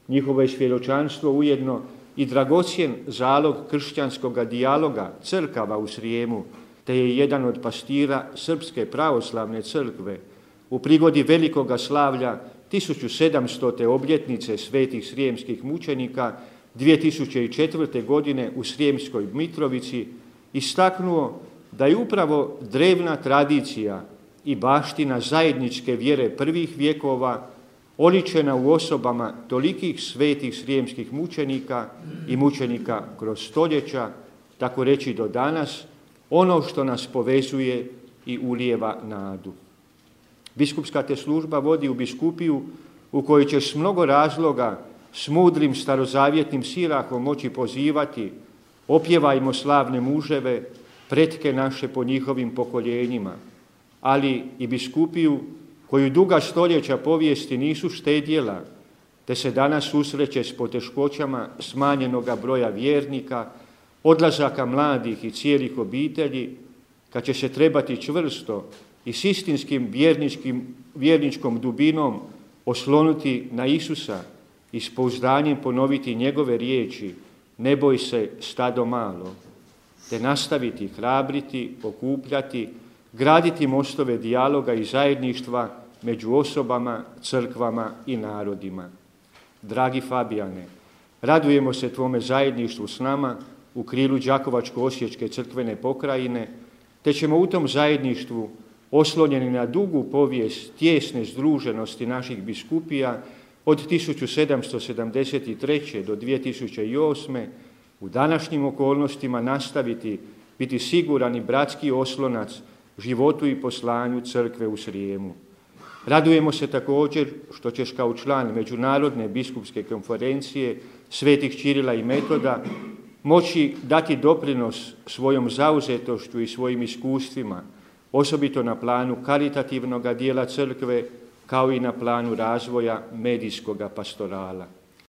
Njihovo je svjedočanstvo ujedno i dragocjen zalog kršćanskog dijaloga crkava u Srijemu, te je jedan od pastira Srpske pravoslavne crkve u prigodi velikoga slavlja 1700. obljetnice svetih srijemskih mučenika 2004. godine u Srijemskoj Mitrovici istaknuo da je upravo drevna tradicija i baština zajedničke vjere prvih vjekova oličena u osobama tolikih svetih srijemskih mučenika i mučenika kroz stoljeća, tako reći do danas, ono što nas povezuje i ulijeva nadu. Biskupska te služba vodi u biskupiju u kojoj ćeš s mnogo razloga s mudrim starozavjetnim sirahom moći pozivati: opjevajmo slavne muževe, pretke naše po njihovim pokoljenjima, ali i biskupiju koju duga stoljeća povijesti nisu štedjela, te se danas susreće s poteškoćama smanjenoga broja vjernika, odlazaka mladih i cijelih obitelji, kad će se trebati čvrsto i s istinskim vjerničkom dubinom oslonuti na Isusa i s pouzdanjem ponoviti njegove riječi: ne boj se, stado malo, te nastaviti hrabriti, okupljati, graditi mostove dijaloga i zajedništva među osobama, crkvama i narodima. Dragi Fabijane, radujemo se tvome zajedništvu s nama u krilu Đakovačko-osječke crkvene pokrajine, te ćemo u tom zajedništvu, oslonjeni na dugu povijest tijesne združenosti naših biskupija od 1773. do 2008. u današnjim okolnostima nastaviti biti siguran i bratski oslonac životu i poslanju crkve u Srijemu. Radujemo se također što ćeš kao član Međunarodne biskupske konferencije svetih Ćirila i Metoda moći dati doprinos svojom zauzetošću i svojim iskustvima, osobito na planu karitativnog dijela crkve, kao i na planu razvoja medijskoga pastorala.